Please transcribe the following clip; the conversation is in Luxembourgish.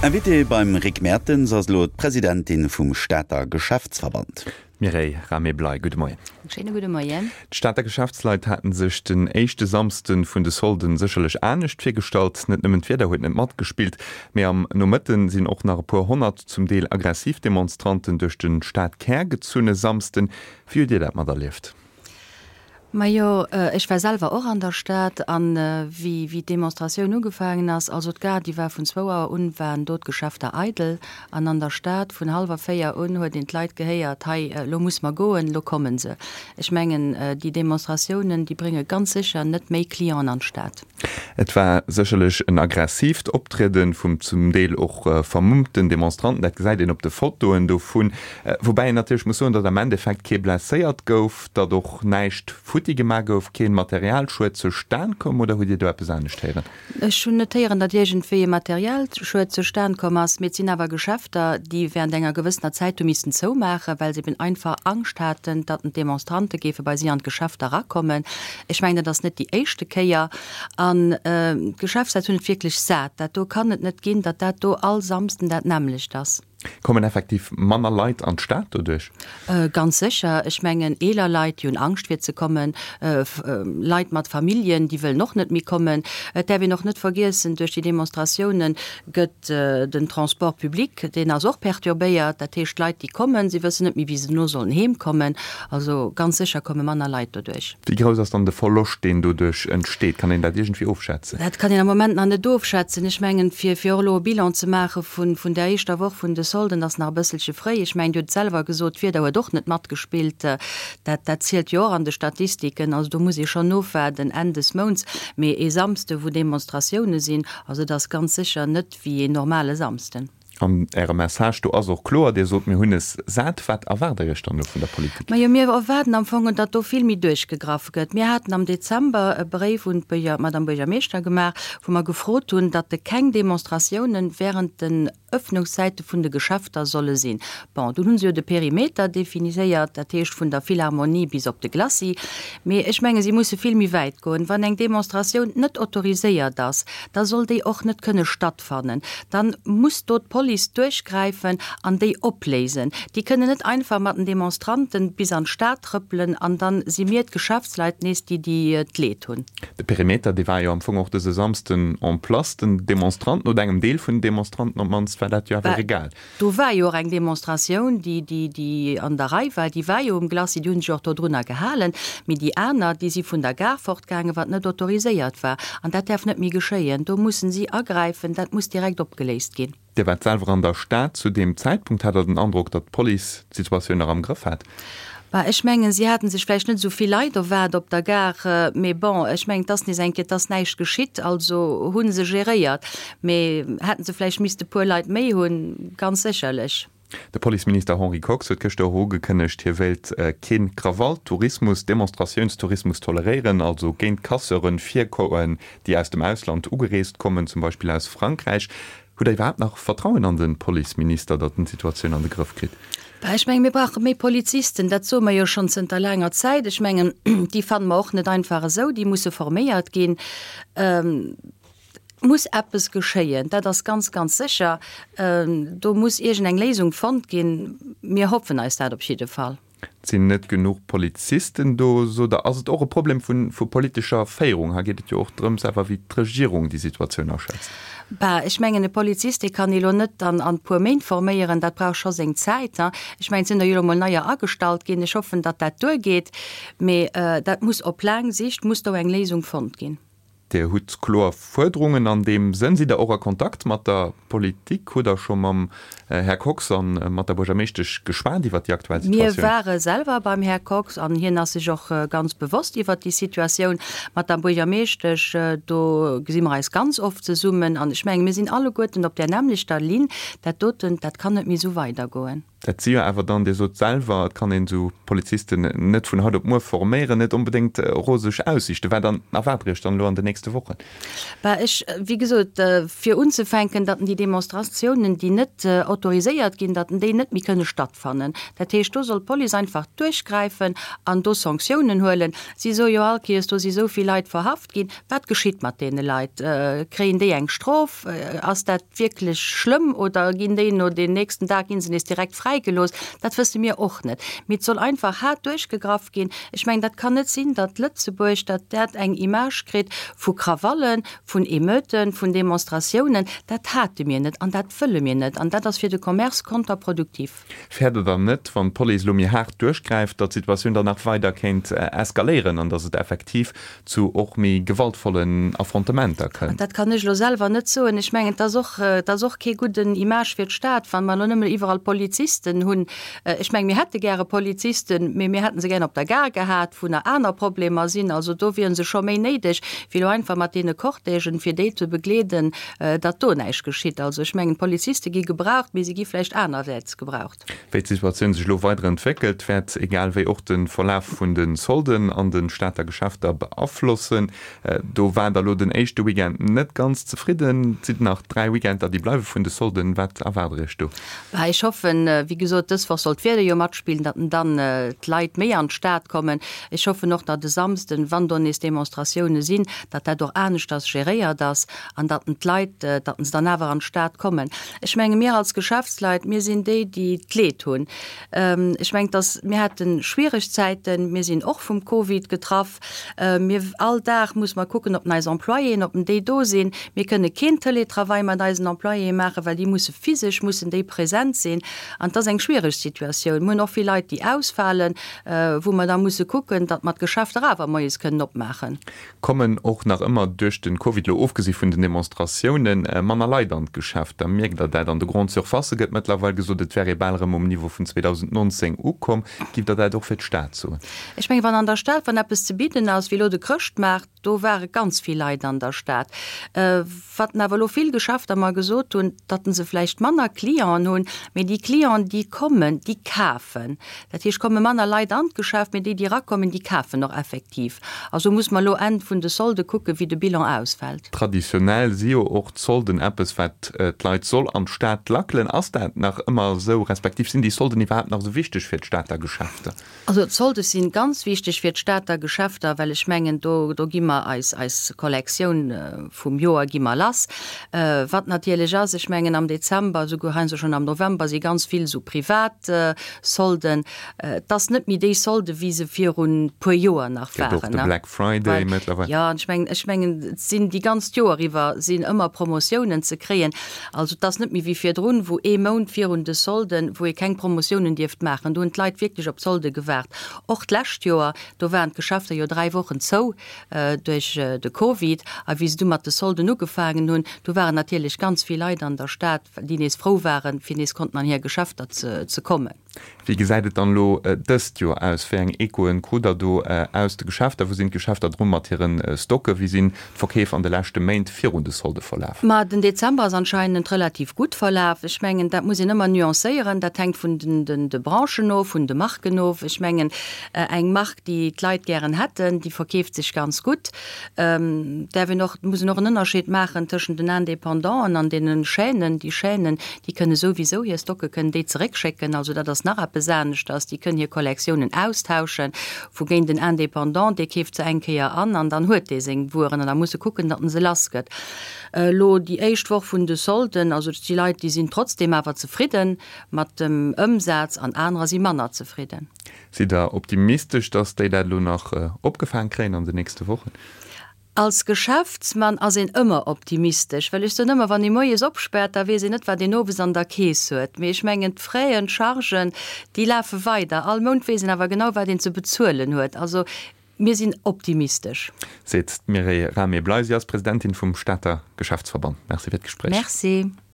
Invitée beim Rick Mertens ass elo d'Presidentin vum Stater Geschäftsverband. Mireille Rahmé-Bley, gudde Moien. En schéine gudde Moien. D'Stater Geschäftsleit haten sech den éischte Samsde vun de Solden sécherlech anescht virgestallt. Net nëmmen d'Wieder huet net matgespillt, mee am Nomëtte sinn och nach e puer honnert, zum Deel aggressiv Demonstranten duerch de Stadkär gezunn e Samsden. Wéi hutt Dir dat materlieft? Majo, ech war selwer och an der Stad an wéi wéi d'Demonstratioun ugefaangen ass, also d'Gare déi war vun zwou Auer un, waren do d'Geschäfter eidel an an der Stad vun hallwer 4 un huet een d'Leit gehéiert, hei elo muss mer goen, elo kommen se. Ech mengen déi Demonstratiounen déi brénge ganz sécher net méi Clienten an d'Stad. Et war sécherlech en aggressiivt Optriede vum zum Deel och vermummten Demonstranten, dat gesäit een op de Fotoen dovun. Woubäi een natierlech muss soen, datt am Endeffekt kee blesséiert gouf, datt och näischt futti gemaach gouf, keen Materialschued zustan koum. Oder hutt Dir do eppes anescht héieren? Ech hunn net héieren, datt iergendwéi e Materialschued zustan komm ass, mee et sinn awer Geschäfter, déi während enger gewëssener Zäit hu missen zoumaachen, well se eben einfach Angscht haten, datt d'Demonstrante géife bei si an d'Geschäfter erakommen. Ech mengen, dat ass net déi éischte Kéier. An d'Geschäftsleit hunn et wierklech sat. Dat do kann et net ginn, datt dat do all Samsden dat nämmlecht ass. Kommen effektiv manner Leit an d'Stad doduerch? Ganz sécher. Ech mengen, eeler Leit, déi hunn Angscht fir ze kommen. Leit mat Familljen, déi wëllen och net méi kommen. Et däerf een och net vergiessen, duerch déi Demonstratioune gëtt den Transport public, deen ass och perturbéiert. Dat heescht, d'Leit, déi kommen, si wëssen net méi, wéi se dono sollen heemkommen. Also ganz sécher komme manner Leit doduerch. Wéi grouss ass dann de Verloscht, deen doduerch entsteet? Kann een dat iergendwéi ofschätzen? Dat kann een am Moment nach net ofschätzen. Ech mengen, fir fir och elo e Bilan ze maache vun vun där éischter Woch vun de Solden, ass nach e bësselche fréi. Ech mengen, Dir hutt et selwer gesot, d'Wieder huet och net matgespillt. Dat dat zielt jo och an de Statistiken. Also do muss ee schonn ofwaarden Enn des Mounts. Mee ee Samsde wou Demonstratioune sinn, also et ass ganz sécher net wéi een normale Samsden. An Äre Message do ass och kloer, Dir sot, mir hunn es sat. Wat erwaart Der Iech dann elo vun der Politik? Majo, mir erwaarden am Fong, datt do vill méi duerchgegraff gëtt. Mir haten am Dezember e Bréif un d'Madame Buergermeeschter gemaach, wou mer gefrot hunn, datt keng Demonstratiounen während den Öffnungszäite vun de Geschäfter solle sinn. Bon, dunn hu se jo de Perimeter definiséiert, dat heescht vun der Philharmonie bis op de Glacis. Mee ech menge si musse vill méi wäit goen. Wann eng Demonstratioun net autoriséiert ass, da soll déi och net kënne stattfannen. Dann muss do d'Police duerchgräifen an déi opléisen. Déi kënnen net einfach mat den Demonstranten bis an d'Stad trëppelen an dann si mir d'Geschäftsleit nees déi déi d'Leed hunn. De Perimeter, dee war jo am Fong och dëse Samsden en place. Den Demonstranten, oder engem Deel vun den Demonstranten op d'mannst, war dat jo awer egal. Do war jo och eng Demonstratioun, déi, déi, déi an der Rei war, déi war jo um Glacis, déi hunn sech och dodrunner gehalen. Mee déi aner, déi si vun der Gare fortgaangen, wat net autoriséiert war. An dat däerf net méi geschéien. Do mussen si agräifen, dat muss direkt opgeléist ginn. Dir waart selwer an der Stad zu deem Zäitpunkt. Hat Der den Androck, datt d'Police d'Situatioun nach am Grëff hat? Bah, ech mengen, si haten sech vläicht net esou vill Leit erwaart op der Gare, mee bon, ech mengen, et ass nees eng Kéier, et ass näischt geschitt, also hu se geréiert. Mee hätten se vläicht misste puer Leit méi hunn, ganz sécherlech. De Policeminister Henri Kox huet gëschter och ugekënnegt, hie wéilt kee Krawall-Tourismus, Demonstratiounstourismus toleréieren, also géint Casseuren virgoen, déi aus dem Ausland ugereest kommen, zum Beispill aus Frankräich. Hutt Der iwwerhaapt nach Vertrauen an de Policeminister, datt en d'Situatioun an de Grëff kritt? Bah, ech mengen, mir brauche méi Polizisten. Dat soe mer jo schonn zënter laanger Zäit. Ech mengen, déi fanne mer och net einfach esou. Déi musse forméiert ginn. Et muss eppes geschéien, dat ass ganz, ganz sécher. Do muss iergendeng Léisung fonnt ginn. Mir hoffen eis dat op jidde Fall. Et sinn net genuch Polizisten do, sot Der. Ass et och e Problem vu politescher Féierung? Hei geet et jo och drëms awer, wéi d'Regierung déi Situatioun aschätzt. Bah, ech mengen, e Polizist, dee kann ee lo net an e puer Méint forméieren. Dat brauch scho seng Zäit. Ech mengen, et sinn der jo elo mol neier agestallt ginn. Ech hoffen, datt dat duergeet. Mee dat muss op laang Sicht muss do eng Léisung fonnt ginn. Dir hutt kloer Fuerderungen an deem Sënn. Sidd Der och a Kontakt mat der Politik? Hutt Der scho mam Här Kox a mat der Buergermeeschtesch geschwat iwwert déi aktuell Situatioun? Mir ware selwer beim Här Kox an hien ass sech och ganz bewosst iwwert déi Situatioun. Mat der Buergermeeschtesch, do gesi mer eis ganz oft zesummen an ech menge mir sinn alleguerten op där nämmlechter Linn. Dat doten, dat kann net méi esou weidergoen. Dat si jo awer dann, Dir sot selwer, et kann een esou Polizisten net vun haut op muer forméieren, net onbedéngt roseg Aussiichten. Wat an erwaart Der Iech dann elo an den nächste Wochen? Bah, ech, wéi gesot, fir unzefänken, datt déi Demonstratiounen, déi net autoriséiert ginn, datt déi net méi kënne stattfannen. Dat heescht, do soll d'Police einfach duerchgräifen an do Sanktiounen huelen. Si soe jo all Kéiers, do si sou vill Leit verhaft ginn. Wat geschitt mat deene Leit? Kréien déi eng Strof? Ass dat wierklech schlëmm oder ginn déi no den nächsten Dag gi se nees direkt fräigelooss? Dat wësse mir och net. Mee et soll einfach haart duerchgegraff ginn. Ech mengen, dat kann net sinn, datt Lëtzebuerg, datt dat eng Image kritt vu Krawallen, vun Emeuten, vun Demonstratiounen. Dat hate mir net an dat wëlle mir net. An dat ass fir de Commerce konterproduktiv. Fäert Der dann net, wann d'Police elo méi haart duerchgräift, datt d'Situatioun dann nach weider kéint eskaléieren an datt et effektiv zu och méi gewaltvollen Affrontementer kënnt? Dat kann ech elo selwer net soen. Ech mengen, et ass och, et ass och kee gudden Image fir d'Stad, wa mer elo nëmmen iwwerall Polizisten hunn. Ech mengen, mir hätte gäre Polizisten, mee mir hätte se gären op der Gare gehat, wou nach aner Problemer sinn. Also do wiere se scho méi néideg, wéi elo einfach mat deene Cortègen, fir déi ze begleeden, datt do näischt geschitt. Also ech mengen, d'Poliziste gi gebraucht, mee se gi vläicht anerwäerts gebraucht. Wéi d'Situatioun sech elo weider entwéckelt, wäert egal wéi och de Verlaf vun de Solden an de Stater Geschäfter beaflossen. Do waart der elo den éischte Weekend net ganz zefridden. Et sinn nach 3 Weekender, déi bleiwe vun de Solden. Wat erwaart der Iech do? Bah, ech hoffen, wéi gesot, dës Woch soll d'Wieder jo matspillen, datt dann d'Leit méi an d'Stad kommen. Ech hoffen och, datt e Samsden, wann do nees Demonstratioune sinn, datt dat och aneschters geréiert ass an datt d'Leit, datt se dann awer an d'Stad kommen. Ech menge mir als Geschäftsleit, mir sinn déi, déi d'Leed hunn. Ech mengen, datt mir hate schwiereg Zäiten, mir sinn och vum Covid getraff. Mir, all Dag muss mer kucken, ob eis Employéen, ob déi do sinn. Mir kënne keen Teletravail mat eisen Employéë maachen, well déi musse physesch mussen déi present sinn. An et ass eng schwiereg Situatioun. Mir hunn och vill Leit, déi ausfalen, wou mer da musse kucken, datt mer d'Geschäfter awer moies kënnen opmaachen. Kommen och nach ëmmer duerch de Covid, elo ofgesi vun den Demonstratiounen, manner Leit an d'Geschäfter. Mierkt Der dat? An de Grande Surfacë gëtt mëttlerweil gesot, et wär ee bal erëm um Niveau vun 2019 ukomm. Giff Der dat och fir d'Stad soen? Ech mengen, wann an der Stad, wann eppes ze bidden ass, wéi elo de Chrëschtmaart, do ware ganz vill Leit an der Stad. Wat awer elo vill Geschäfter mer gesot hunn, datt se vläicht manner Clienten hunn, mee déi Clienten, déi kommen, déi kafen. Dat heescht, komme manner Leit an d'Geschäft, mee déi, déi erakommen, déi kafen och effektiv. Also muss mer elo Enn vun de Solde kucken, wéi de Bilan ausfält. Traditionell si jo och d'Solden eppes, wat d'Leit soll an d'Stad lackelen. Ass dat nach ëmmer esou, respektiv sinn déi Solden iwwerhaapt nach esou wichteg fir d'Stater Geschäfter? Also d'Solde si ganz wichteg fir d'Stater Geschäfter, well ech mengen, do do gi mer eis eis Kollektioun vum Joer gi mer lass. Wat natierlech ass, ech mengen am Dezember, esouguer heiansdo schonn am November, si ganz vill esou privat Solden. Et ass net méi déi Solde wéi se virun puer Joer nach Gëtt och waren, de ne? Black Friday mëttlerweil. Jo, an ech mengen, ech mengen, et sinn déi ganz d'Joer iwwer sinn ëmmer Promotiounen ze kréien. Also et ass net méi wéi virdrun, wou ee Mount virun de Solden, wou ee keng Promotiounen dierft maachen. Do hunn d'Leit wierklech op d'Solde gewaart. Och d'lescht Joer, do waren d'Geschäfter jo 3 Wochen zou duerch de Covid. A wéi se du mat de Solden ugefaangen hunn, do waren natierlech ganz vill Leit an der Stad, déi nees frou waren, fir nees konnten an hir Geschäfter ze kommen. Wéi gesäit et dann elo dëst Joer aus? Wéi eng Echoen krut der do aus de Geschäfter? Wou sinn d'Geschäfter dru mat hire Stocke? Wéi sinn d'Verkeef an de leschte Méint virun de Solde verlaf? Ma den Dezember ass anscheinend relativ gutt verlaf. Ech mengen, dat muss een ëmmer nuancéieren. Dat hänkt vun de Branchen of, vun de Marken of. Ech mengen, eng Mark, déi d'Leit gären hätten, déi verkeeft sech ganz gutt. Däerf een och, muss een och en Ënnerscheed maachen tëschent den Indépendanten an deene Chaînen. Déi Chaînen, déi kënne souwisou hir Stocke kënnen déi zeréckschécken, also dat ass nach eppes aneschters. Déi kënnen hir Kollektiounen austauschen, wougéint den Indépendant, dee keeft se eng Kéier an an dann huet dee seng Wueren an da muss e kucken, datt en se lass gëtt. Elo déi éischt Woch vun de Solden, also et si Leit, déi sinn trotzdeem awer zefridde mat dem Ëmsaz an anerer si manner zefridden. Sidd Der optimistesch, datt déi dat elo nach opgefaang kréien an den nächste Wochen? Als Geschäftsmann ass een ëmmer optimistesch, well ech soen ëmmer, wann ee moies opspaart, da weess een net, wat een owes an der Keess huet. Mee ech mengen, d'Fraisen, d'Chargen, déi lafe weider. All Mount weess een awer genau, wat een ze bezuelen huet. Also mir sinn optimistesch. Seet d'Mireille Rahmé-Blei. Si ass Presidentin vum Stater Geschäftsverband. Merci fir d'Gespréich. Merci.